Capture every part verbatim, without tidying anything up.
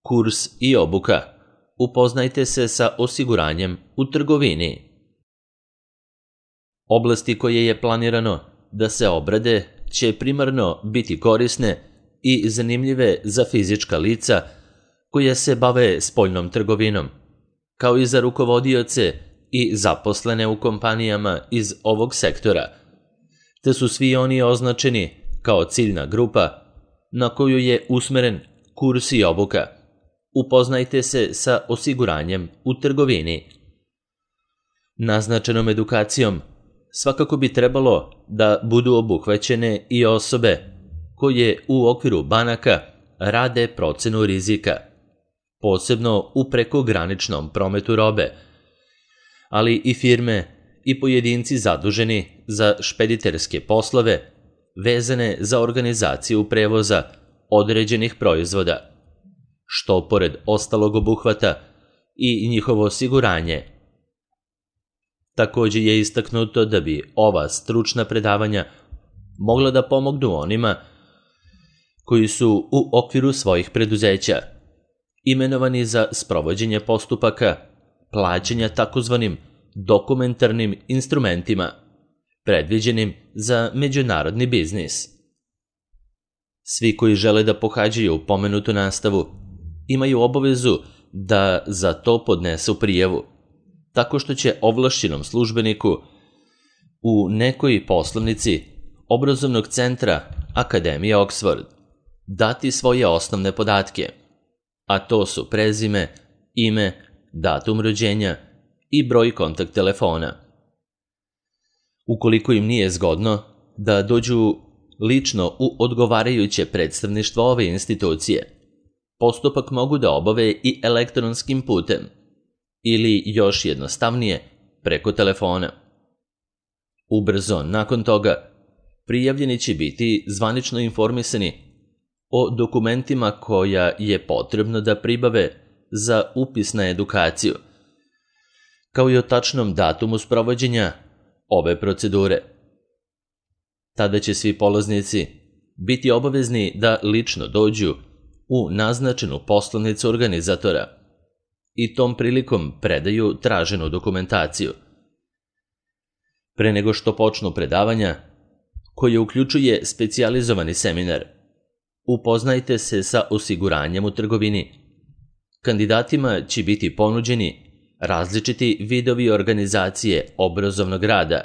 Kurs i obuka. Upoznajte se sa osiguranjem u trgovini. Oblasti koje je planirano da se obrade će primarno biti korisne i zanimljive za fizička lica koja se bave spoljnom trgovinom, kao i za rukovodioce i zaposlene u kompanijama iz ovog sektora, te su svi oni označeni kao ciljna grupa na koju je usmeren kurs i obuka. Upoznajte se sa osiguranjem u trgovini. Naznačenom edukacijom svakako bi trebalo da budu obuhvaćene i osobe koje u okviru banaka rade procenu rizika, posebno u prekograničnom prometu robe, ali i firme i pojedinci zaduženi za špediterske poslove vezane za organizaciju prevoza određenih proizvoda, što pored ostalog obuhvata i njihovo osiguranje. Takođe je istaknuto da bi ova stručna predavanja mogla da pomognu onima koji su u okviru svojih preduzeća imenovani za sprovođenje postupaka plaćanja takozvanim dokumentarnim instrumentima, predviđenim za međunarodni biznis. Svi koji žele da pohađaju pomenutu nastavu imaju obavezu da za to podnesu prijavu, tako što će ovlašćenom službeniku u nekoj poslovnici obrazovnog centra Akademije Oxford dati svoje osnovne podatke, a to su prezime, ime, datum rođenja i broj kontakt telefona. Ukoliko im nije zgodno da dođu lično u odgovarajuće predstavništvo ove institucije, postupak mogu da obave i elektronskim putem ili još jednostavnije preko telefona. Ubrzo nakon toga prijavljeni će biti zvanično informisani o dokumentima koja je potrebno da pribave za upis na edukaciju, kao i o tačnom datumu sprovođenja ove procedure. Tada će svi polaznici biti obavezni da lično dođu u naznačenu poslovnicu organizatora i tom prilikom predaju traženu dokumentaciju. Pre nego što počnu predavanja, koje uključuje specijalizovani seminar, upoznajte se sa osiguranjem u trgovini. Kandidatima će biti ponuđeni različiti vidovi organizacije obrazovnog rada,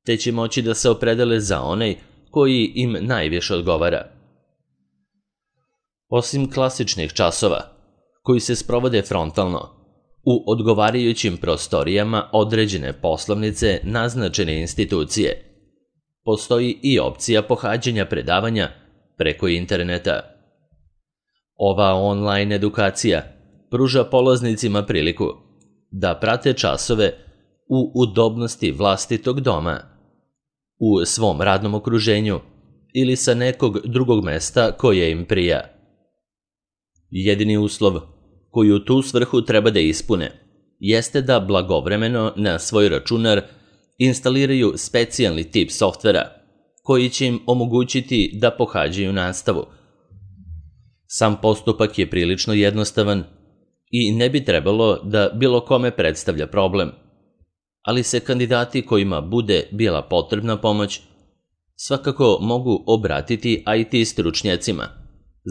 te će moći da se opredele za onaj koji im najviše odgovara. Osim klasičnih časova, koji se sprovode frontalno, u odgovarajućim prostorijama određene poslovnice naznačene institucije, postoji i opcija pohađanja predavanja preko interneta. Ova online edukacija pruža polaznicima priliku da prate časove u udobnosti vlastitog doma, u svom radnom okruženju ili sa nekog drugog mesta koje im prija. Jedini uslov koji u tu svrhu treba da ispune jeste da blagovremeno na svoj računar instaliraju specijalni tip softvera koji će im omogućiti da pohađaju nastavu. Sam postupak je prilično jednostavan i ne bi trebalo da bilo kome predstavlja problem, ali se kandidati kojima bude bila potrebna pomoć svakako mogu obratiti I T stručnjacima,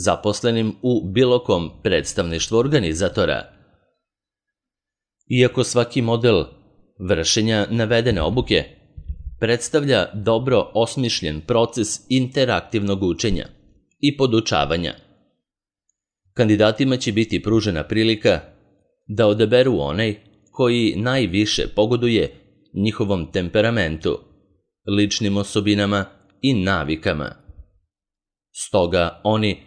zaposlenim u bilo kom predstavništvu organizatora. Iako svaki model vršenja navedene obuke predstavlja dobro osmišljen proces interaktivnog učenja i podučavanja, kandidatima će biti pružena prilika da odaberu onaj koji najviše pogoduje njihovom temperamentu, ličnim osobinama i navikama. Stoga oni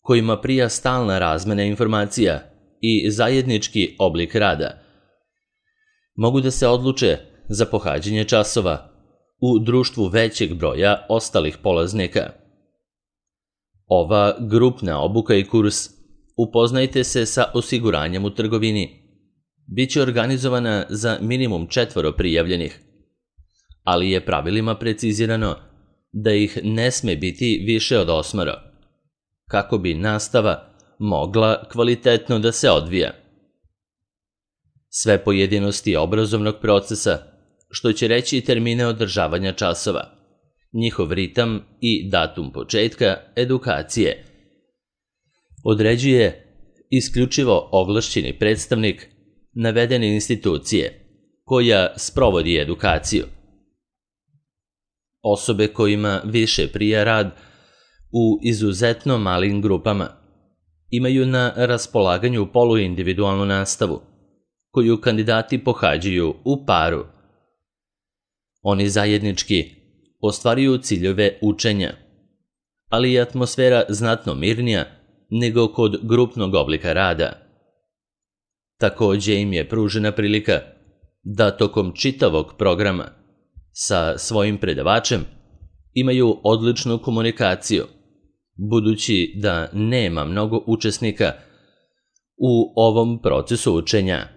kojima prija stalna razmena informacija i zajednički oblik rada mogu da se odluče za pohađanje časova u društvu većeg broja ostalih polaznika. Ova grupna obuka i kurs Upoznajte se sa osiguranjem u trgovini biće organizovana za minimum četvoro prijavljenih, ali je pravilima precizirano da ih ne sme biti više od osmoro, kako bi nastava mogla kvalitetno da se odvija. Sve pojedinosti obrazovnog procesa, što će reći i termine održavanja časova, njihov ritam i datum početka edukacije, određuje isključivo ovlašćeni predstavnik navedene institucije koja sprovodi edukaciju. Osobe kojima više prija rad u izuzetno malim grupama imaju na raspolaganju poluindividualnu nastavu, koju kandidati pohađaju u paru. Oni zajednički ostvaruju ciljeve učenja, ali je atmosfera znatno mirnija nego kod grupnog oblika rada. Takođe im je pružena prilika da tokom čitavog programa sa svojim predavačem imaju odličnu komunikaciju, budući da nema mnogo učesnika u ovom procesu učenja.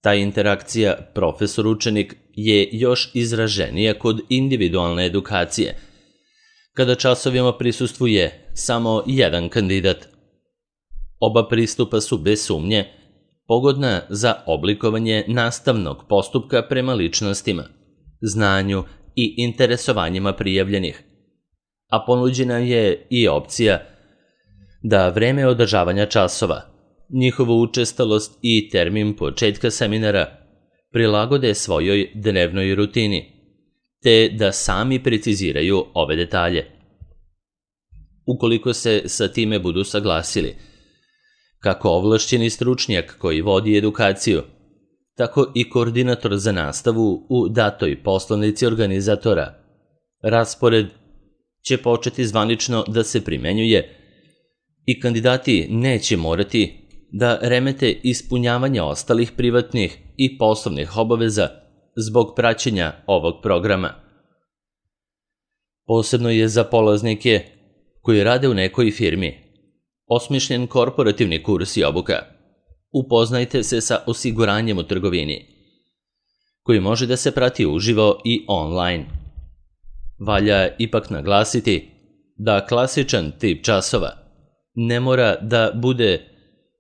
Ta interakcija profesor-učenik je još izraženija kod individualne edukacije, kada časovima prisustvuje samo jedan kandidat. Oba pristupa su bez sumnje pogodna za oblikovanje nastavnog postupka prema ličnostima, znanju i interesovanjima prijavljenih, a ponuđena je i opcija da vreme održavanja časova, njihovu učestalost i termin početka seminara prilagode svojoj dnevnoj rutini, te da sami preciziraju ove detalje. Ukoliko se sa time budu saglasili, kako ovlašćeni stručnjak koji vodi edukaciju, tako i koordinator za nastavu u datoj poslovnici organizatora, raspored će početi zvanično da se primenjuje i kandidati neće morati da remete ispunjavanje ostalih privatnih i poslovnih obaveza zbog praćenja ovog programa. Posebno je za polaznike koji rade u nekoj firmi osmišljen korporativni kurs i obuka. Upoznajte se sa osiguranjem u trgovini, koji može da se prati uživo i online. Valja ipak naglasiti da klasičan tip časova ne mora da bude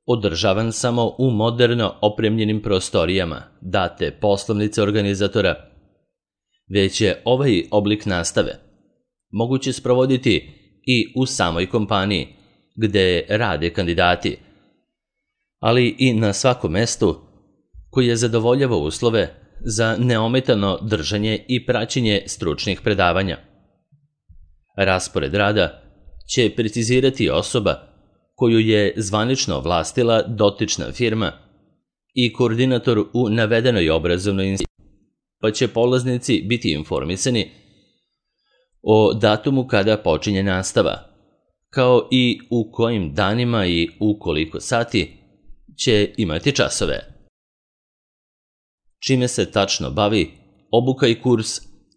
održavan samo u moderno opremljenim prostorijama date poslovnice organizatora, već je ovaj oblik nastave moguće sprovoditi i u samoj kompaniji gde rade kandidati, ali i na svakom mestu koje zadovoljava uslove za neometano držanje i praćenje stručnih predavanja. Raspored rada će precizirati osoba koju je zvanično vlastila dotična firma i koordinator u navedenoj obrazovnoj instituciji, pa će polaznici biti informisani o datumu kada počinje nastava, kao i u kojim danima i u koliko sati će imati časove. Čime se tačno bavi obuka i kurs,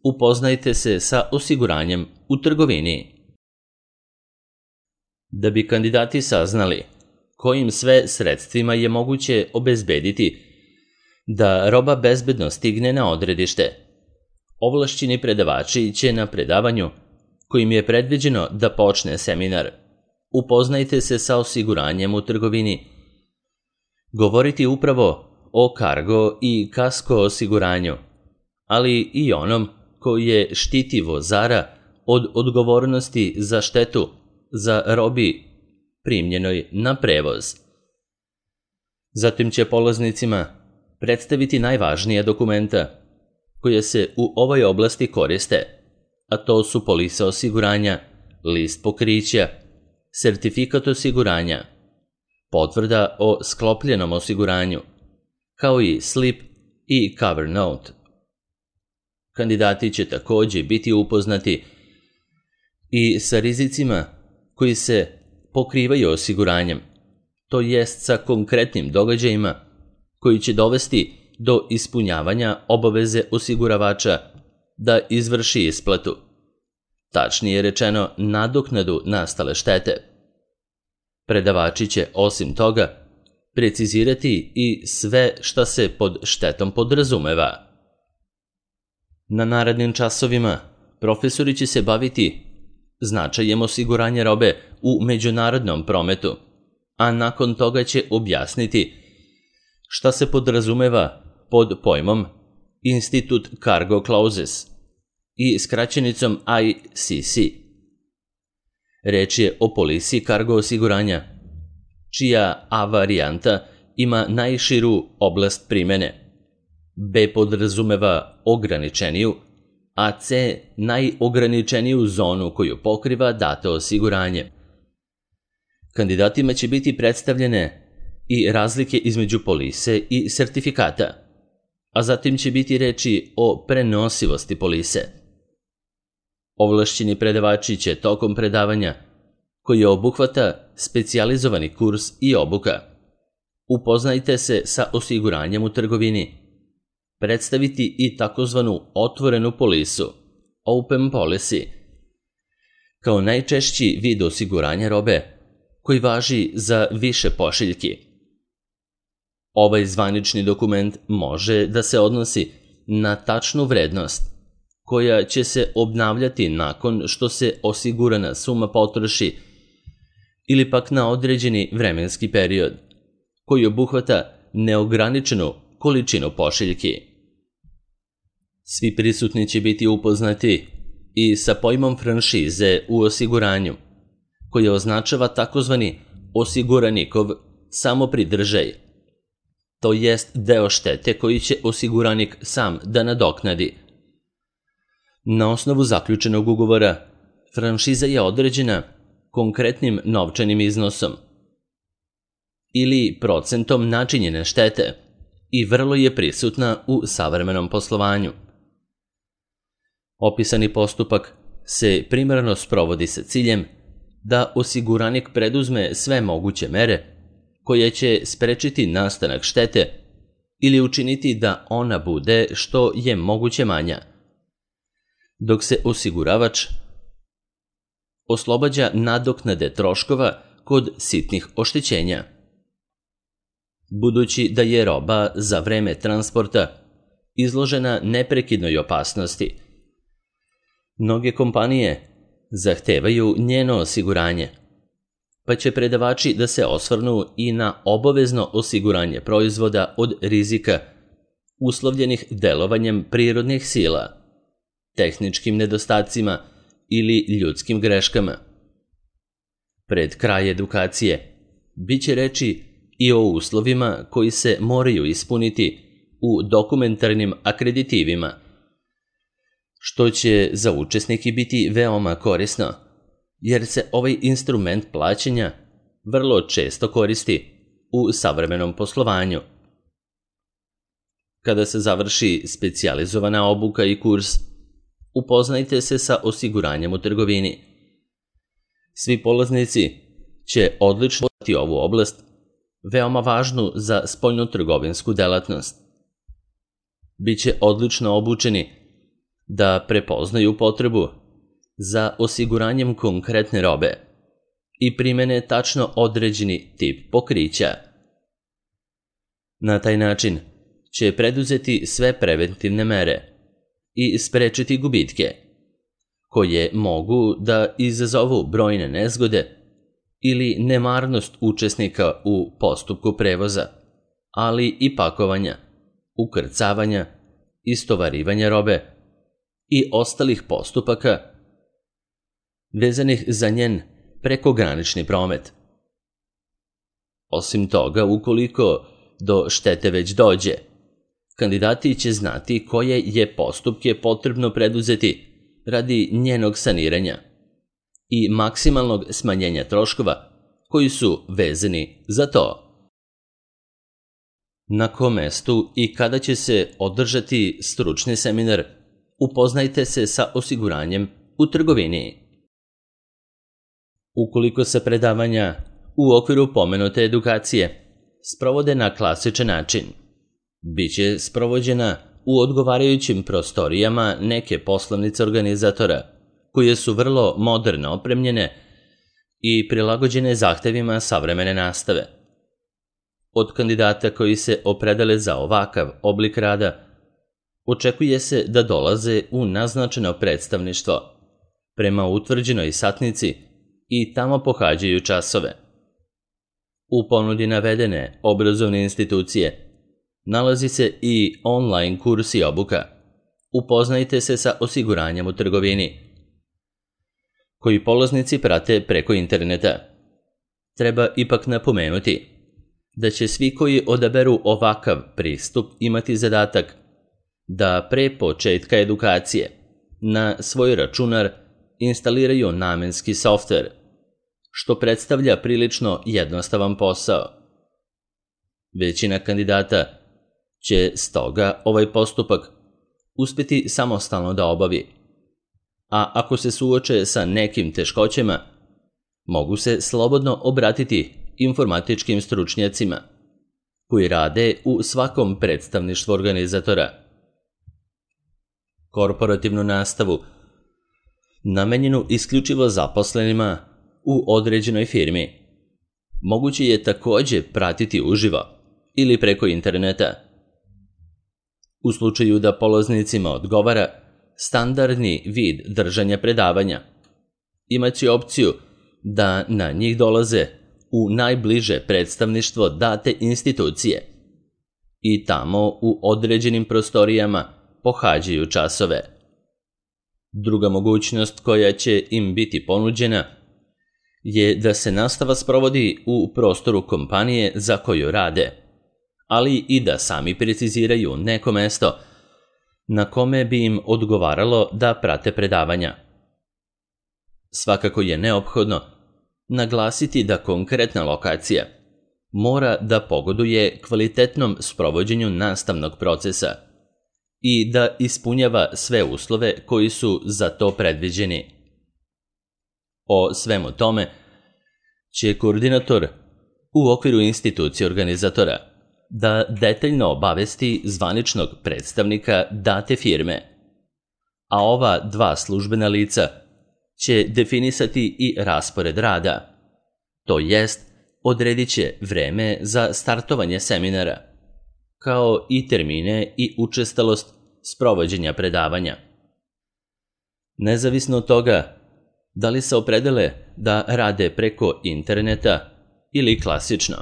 upoznajte se sa osiguranjem u trgovini. Da bi kandidati saznali kojim sve sredstvima je moguće obezbediti da roba bezbedno stigne na odredište, ovlašćeni predavači će na predavanju, kojim je predviđeno da počne seminar, upoznajte se sa osiguranjem u trgovini, govoriti upravo o kargo i kasko osiguranju, ali i onom koje štiti vozara od odgovornosti za štetu za robi primljenoj na prevoz. Zatim će polaznicima predstaviti najvažnija dokumenta koje se u ovoj oblasti koriste, a to su polisa osiguranja, list pokrića, sertifikat osiguranja, potvrda o sklopljenom osiguranju, kao i slip i cover note. Kandidati će takođe biti upoznati i sa rizicima koji se pokrivaju osiguranjem, to jest sa konkretnim događajima koji će dovesti do ispunjavanja obaveze osiguravača da izvrši isplatu, tačnije rečeno nadoknadu nastale štete. Predavači će osim toga precizirati i sve šta se pod štetom podrazumeva. Na narednim časovima profesori će se baviti značajem osiguranja robe u međunarodnom prometu a nakon toga će objasniti šta se podrazumeva pod pojmom Institute Cargo Clauses i skraćenicom I C C. Reč je o polisi kargo osiguranja, čija A varijanta ima najširu oblast primene, B podrazumeva ograničeniju, a C najograničeniju zonu koju pokriva dato osiguranje. Kandidatima će biti predstavljene i razlike između polise i sertifikata, a zatim će biti reči o prenosivosti polise. Ovlašćeni predavači će tokom predavanja, koji obuhvata specijalizovani kurs i obuka, upoznajte se sa osiguranjem u trgovini, predstaviti i takozvanu otvorenu polisu, open policy, kao najčešći vid osiguranja robe koji važi za više pošiljki. Ovaj zvanični dokument može da se odnosi na tačnu vrednost koja će se obnavljati nakon što se osigurana suma potroši ili pak na određeni vremenski period koji obuhvata neograničenu količinu pošiljki. Svi prisutni će biti upoznati i sa pojmom franšize u osiguranju, koji označava takozvani osiguranikov samopridržaj, to jest deo štete koji će osiguranik sam da nadoknadi. Na osnovu zaključenog ugovora, franšiza je određena konkretnim novčanim iznosom ili procentom načinjene štete i vrlo je prisutna u savremenom poslovanju. Opisani postupak se primarno sprovodi sa ciljem da osiguranik preduzme sve moguće mere koje će sprečiti nastanak štete ili učiniti da ona bude što je moguće manja, dok se osiguravač oslobađa nadoknade troškova kod sitnih oštećenja. Budući da je roba za vreme transporta izložena neprekidnoj opasnosti, mnoge kompanije zahtevaju njeno osiguranje, pa će predavači da se osvrnu i na obavezno osiguranje proizvoda od rizika uslovljenih delovanjem prirodnih sila, tehničkim nedostacima ili ljudskim greškama. Pred kraj edukacije biće reči i o uslovima koji se moraju ispuniti u dokumentarnim akreditivima, što će za učesnike biti veoma korisno, jer se ovaj instrument plaćanja vrlo često koristi u savremenom poslovanju. Kada se završi specijalizovana obuka i kurs, upoznajte se sa osiguranjem u trgovini. Svi polaznici će odlično poznati ovu oblast, veoma važnu za spoljnotrgovinsku delatnost. Biće odlično obučeni da prepoznaju potrebu za osiguranjem konkretne robe i primene tačno određeni tip pokrića. Na taj način će preduzeti sve preventivne mere i sprečiti gubitke, koje mogu da izazovu brojne nezgode ili nemarnost učesnika u postupku prevoza, ali i pakovanja, ukrcavanja, istovarivanja robe i ostalih postupaka vezanih za njen prekogranični promet. Osim toga, ukoliko do štete već dođe, kandidati će znati koje je postupke potrebno preduzeti radi njenog saniranja i maksimalnog smanjenja troškova koji su vezani za to. Na kom mestu i kada će se održati stručni seminar, upoznajte se sa osiguranjem u trgovini. Ukoliko se predavanja u okviru pomenute edukacije sprovode na klasičan način, biće sprovođena u odgovarajućim prostorijama neke poslovnice organizatora, koje su vrlo moderno opremljene i prilagođene zahtevima savremene nastave. Od kandidata koji se opredele za ovakav oblik rada, očekuje se da dolaze u naznačeno predstavništvo prema utvrđenoj satnici i tamo pohađaju časove. U ponudi navedene obrazovne institucije nalazi se i online kurs i obuka. Upoznajte se sa osiguranjem u trgovini, koji polaznici prate preko interneta. Treba ipak napomenuti da će svi koji odaberu ovakav pristup imati zadatak da pre početka edukacije na svoj računar instaliraju namenski softver, što predstavlja prilično jednostavan posao. Većina kandidata će stoga ovaj postupak uspjeti samostalno da obavi, a ako se suoče sa nekim teškoćama, mogu se slobodno obratiti informatičkim stručnjacima koji rade u svakom predstavništvu organizatora. Korporativnu nastavu, namenjenu isključivo zaposlenima u određenoj firmi, moguće je također pratiti uživo ili preko interneta. U slučaju da polaznicima odgovara standardni vid držanja predavanja, imaće opciju da na njih dolaze u najbliže predstavništvo date institucije i tamo u određenim prostorijama pohađaju časove. Druga mogućnost koja će im biti ponuđena je da se nastava sprovodi u prostoru kompanije za koju rade, ali i da sami preciziraju neko mesto na kome bi im odgovaralo da prate predavanja. Svakako je neophodno naglasiti da konkretna lokacija mora da pogoduje kvalitetnom sprovođenju nastavnog procesa i da ispunjava sve uslove koji su za to predviđeni. O svemu tome će koordinator u okviru institucije organizatora da detaljno obavesti zvaničnog predstavnika date firme, a ova dva službena lica će definisati i raspored rada, to jest odredit će vreme za startovanje seminara, kao i termine i učestalost sprovođenja predavanja. Nezavisno od toga da li se opredele da rade preko interneta ili klasično,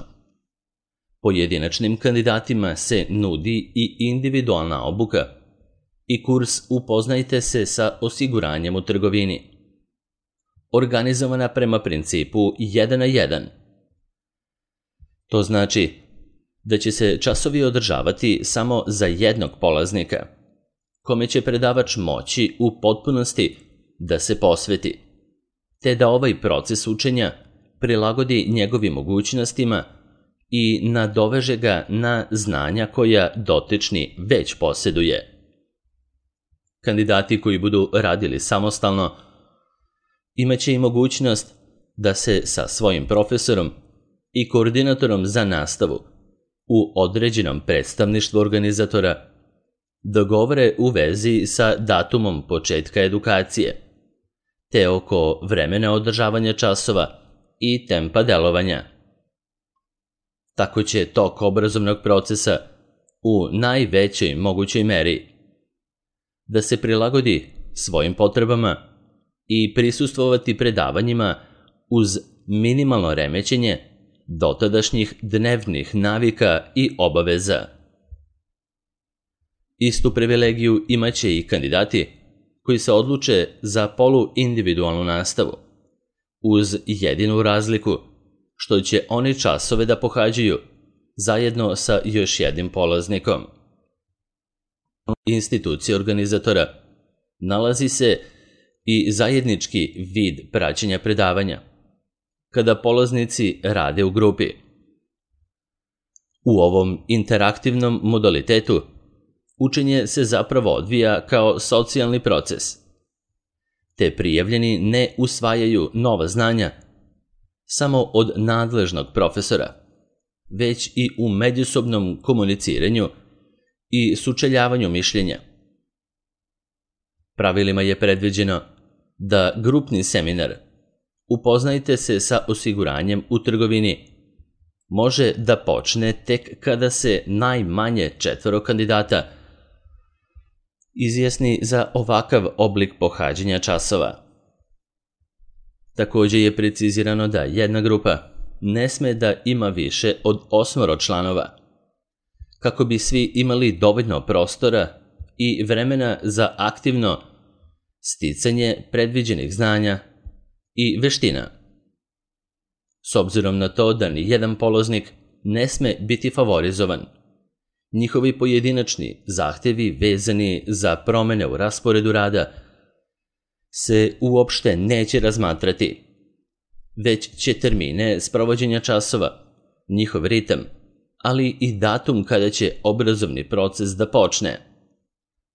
pojedinačnim kandidatima se nudi i individualna obuka i kurs Upoznajte se sa osiguranjem u trgovini, organizovana prema principu jedan na jedan. To znači da će se časovi održavati samo za jednog polaznika, kome će predavač moći u potpunosti da se posveti, te da ovaj proces učenja prilagodi njegovim mogućnostima i nadoveže ga na znanja koja dotični već posjeduje. Kandidati koji budu radili samostalno imaće i mogućnost da se sa svojim profesorom i koordinatorom za nastavu u određenom predstavništvu organizatora dogovore u vezi sa datumom početka edukacije, te oko vremena održavanja časova i tempa delovanja. Tako će tok obrazovnog procesa u najvećoj mogućoj meri da se prilagodi svojim potrebama i prisustvovati predavanjima uz minimalno remećenje dotadašnjih dnevnih navika i obaveza. Istu privilegiju imaće i kandidati koji se odluče za poluindividualnu nastavu, uz jedinu razliku što će oni časove da pohađaju zajedno sa još jednim polaznikom. Institucija organizatora nalazi se i zajednički vid praćenja predavanja, kada polaznici rade u grupi. U ovom interaktivnom modalitetu učenje se zapravo odvija kao socijalni proces, te prijavljeni ne usvajaju nova znanja samo od nadležnog profesora, već i u međusobnom komuniciranju i sučeljavanju mišljenja. Pravilima je predviđeno da grupni seminar Upoznajte se sa osiguranjem u trgovini može da počne tek kada se najmanje četvoro kandidata izjasni za ovakav oblik pohađanja časova. Također je precizirano da jedna grupa ne sme da ima više od osmoro članova, kako bi svi imali dovoljno prostora i vremena za aktivno sticanje predviđenih znanja i veština. S obzirom na to da ni jedan polaznik ne sme biti favorizovan, njihovi pojedinačni zahtevi vezani za promene u rasporedu rada se uopšte neće razmatrati, već će termine sprovođenja časova, njihov ritam, ali i datum kada će obrazovni proces da počne,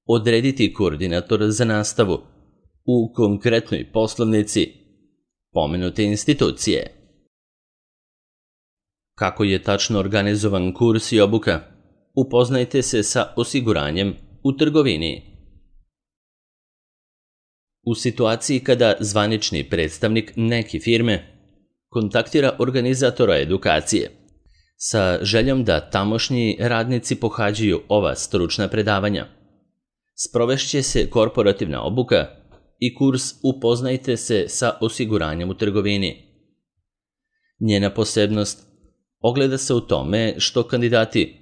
odrediti koordinator za nastavu u konkretnoj poslovnici pomenute institucije. Kako je tačno organizovan kurs i obuka? Upoznajte se sa osiguranjem u trgovini. U situaciji kada zvanični predstavnik neke firme kontaktira organizatora edukacije sa željom da tamošnji radnici pohađaju ova stručna predavanja, sprovešće se korporativna obuka i kurs Upoznajte se sa osiguranjem u trgovini. Njena posebnost ogleda se u tome što kandidati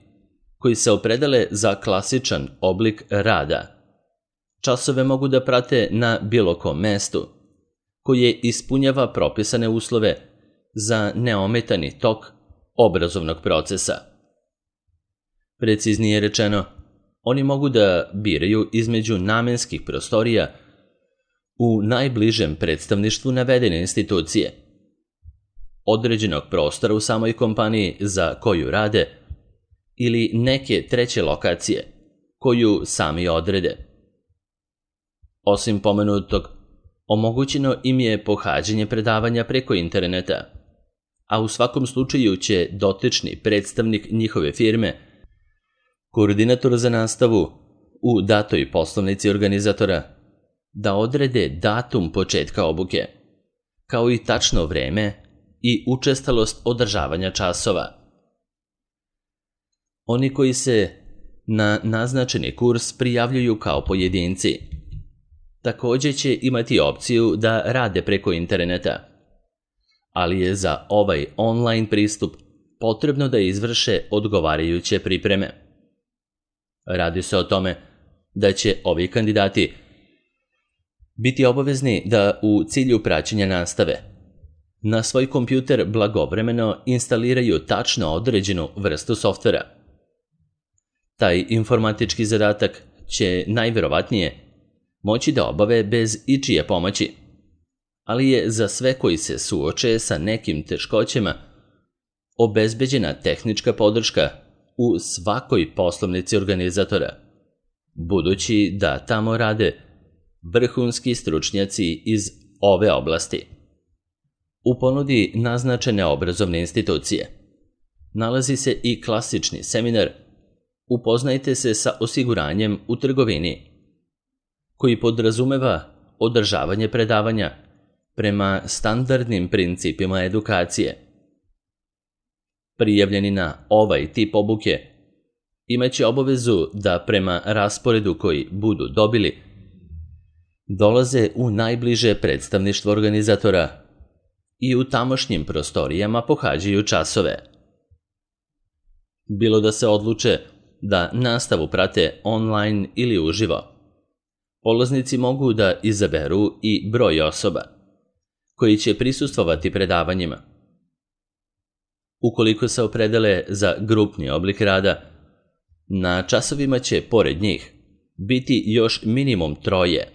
koji se opredele za klasičan oblik rada časove mogu da prate na bilo kom mestu, koje ispunjava propisane uslove za neometani tok obrazovnog procesa. Preciznije rečeno, oni mogu da biraju između namenskih prostorija u najbližem predstavništvu navedene institucije, određenog prostora u samoj kompaniji za koju rade ili neke treće lokacije koju sami odrede. Osim pomenutog, omogućeno im je pohađanje predavanja preko interneta, a u svakom slučaju će dotični predstavnik njihove firme, koordinator za nastavu u datoj poslovnici organizatora, da odrede datum početka obuke, kao i tačno vreme i učestalost održavanja časova. Oni koji se na naznačeni kurs prijavljuju kao pojedinci također će imati opciju da rade preko interneta, ali je za ovaj online pristup potrebno da izvrše odgovarajuće pripreme. Radi se o tome da će ovi kandidati biti obavezni da u cilju praćenja nastave na svoj kompjuter blagovremeno instaliraju tačno određenu vrstu softvera. Taj informatički zadatak će najverovatnije moći da obave bez ičije pomoći, ali je za sve koji se suoče sa nekim teškoćama obezbeđena tehnička podrška u svakoj poslovnici organizatora, budući da tamo rade vrhunski stručnjaci iz ove oblasti. U ponudi naznačene obrazovne institucije nalazi se i klasični seminar Upoznajte se sa osiguranjem u trgovini, koji podrazumeva održavanje predavanja prema standardnim principima edukacije. Prijavljeni na ovaj tip obuke imaće obavezu da prema rasporedu koji budu dobili dolaze u najbliže predstavništvo organizatora i u tamošnjim prostorijama pohađaju časove. Bilo da se odluče da nastavu prate online ili uživo, polaznici mogu da izaberu i broj osoba koji će prisustvovati predavanjima. Ukoliko se opredele za grupni oblik rada, na časovima će pored njih biti još minimum troje,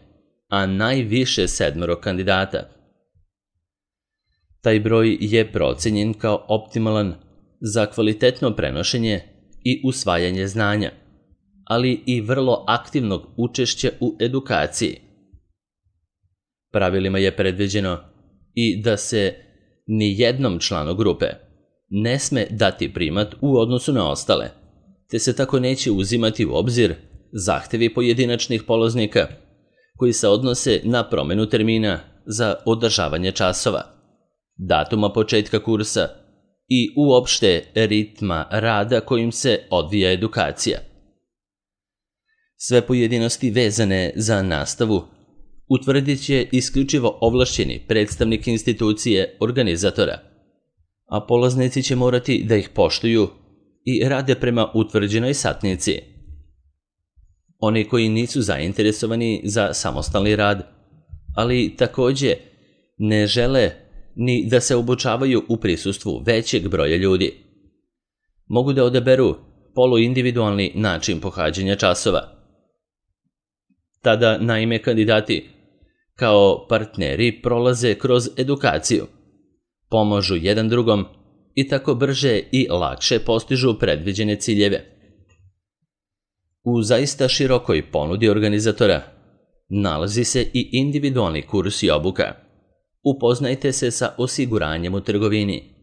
a najviše sedmero kandidata. Taj broj je procenjen kao optimalan za kvalitetno prenošenje i usvajanje znanja, ali i vrlo aktivnog učešća u edukaciji. Pravilima je predviđeno i da se ni jednom članu grupe ne sme dati primat u odnosu na ostale, te se tako neće uzimati u obzir zahtevi pojedinačnih polaznika koji se odnose na promenu termina za održavanje časova, datuma početka kursa i uopšte ritma rada kojim se odvija edukacija. Sve pojedinosti vezane za nastavu utvrdit će isključivo ovlašćeni predstavnik institucije organizatora, a polaznici će morati da ih poštuju i rade prema utvrđenoj satnici. Oni koji nisu zainteresovani za samostalni rad, ali takođe ne žele ni da se obučavaju u prisustvu većeg broja ljudi, mogu da odaberu poluindividualni način pohađanja časova. Tada, naime, kandidati kao partneri prolaze kroz edukaciju, pomažu jedan drugom i tako brže i lakše postižu predviđene ciljeve. U zaista širokoj ponudi organizatora nalazi se i individualni kurs i obuka. Upoznajte se sa osiguranjem u trgovini,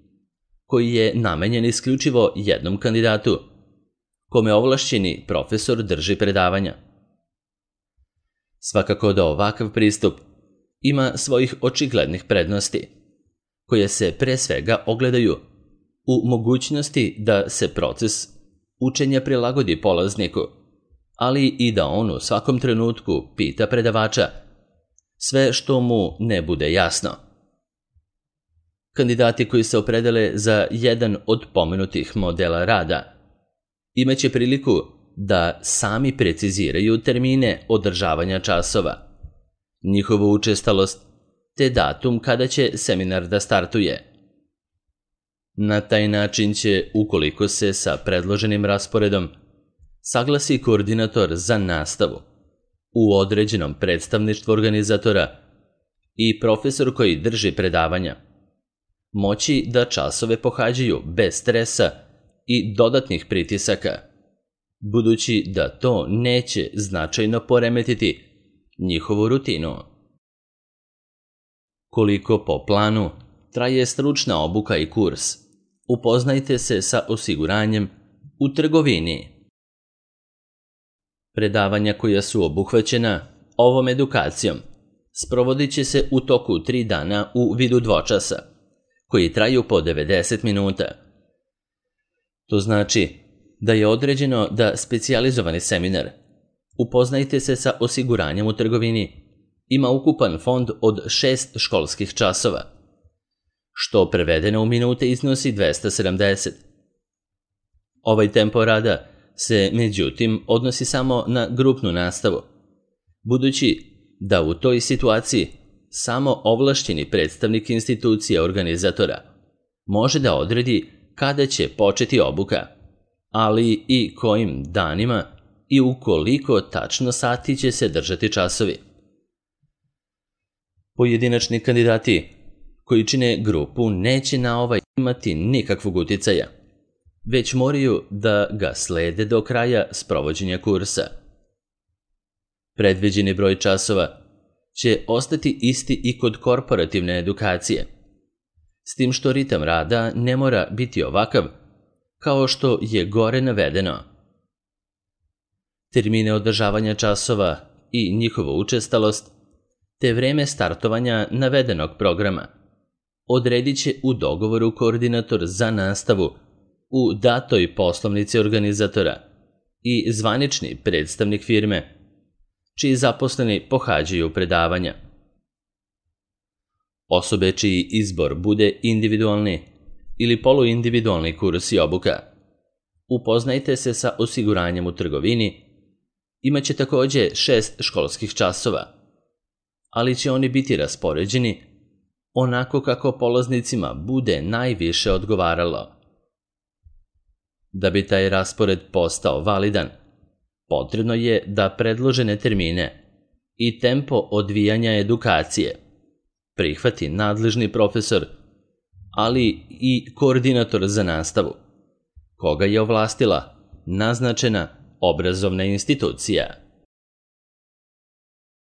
koji je namenjen isključivo jednom kandidatu, kome ovlašćeni profesor drži predavanja. Svakako da ovakav pristup ima svojih očiglednih prednosti, koje se pre svega ogledaju u mogućnosti da se proces učenja prilagodi polazniku, ali i da on u svakom trenutku pita predavača sve što mu ne bude jasno. Kandidati koji se opredele za jedan od pomenutih modela rada imaće priliku da sami preciziraju termine održavanja časova, njihovu učestalost te datum kada će seminar da startuje. Na taj način će, ukoliko se sa predloženim rasporedom saglasi koordinator za nastavu u određenom predstavništvu organizatora i profesor koji drži predavanja, moći da časove pohađaju bez stresa i dodatnih pritisaka, budući da to neće značajno poremetiti njihovu rutinu. Koliko po planu traje stručna obuka i kurs, upoznajte se sa osiguranjem u trgovini. Predavanja koja su obuhvaćena ovom edukacijom sprovodit će se u toku tri dana u vidu dvočasa, koji traju po devedeset minuta. To znači da je određeno da specijalizovani seminar upoznajte se sa osiguranjem u trgovini ima ukupan fond od šest školskih časova, što prevedeno u minute iznosi dvesta sedamdeset. Ovaj tempo rada se, međutim, odnosi samo na grupnu nastavu, budući da u toj situaciji samo ovlašćeni predstavnik institucije organizatora može da odredi kada će početi obuka, ali i kojim danima i u koliko tačno sati će se držati časovi. Pojedinačni kandidati koji čine grupu neće na ovaj imati nikakvog uticaja, već moraju da ga slede do kraja sprovođenja kursa. Predviđeni broj časova će ostati isti i kod korporativne edukacije, s tim što ritam rada ne mora biti ovakav kao što je gore navedeno. Termine održavanja časova i njihovu učestalost, te vreme startovanja navedenog programa odredit će u dogovoru koordinator za nastavu u datoj poslovnici organizatora i zvanični predstavnik firme, čiji zaposleni pohađaju predavanja. Osobe čiji izbor bude individualni ili poluindividualni kurs i obuka, upoznajte se sa osiguranjem u trgovini, imaće takođe šest školskih časova, ali će oni biti raspoređeni onako kako polaznicima bude najviše odgovaralo. Da bi taj raspored postao validan, potrebno je da predložene termine i tempo odvijanja edukacije prihvati nadležni profesor, ali i koordinator za nastavu, koga je ovlastila naznačena obrazovna institucija.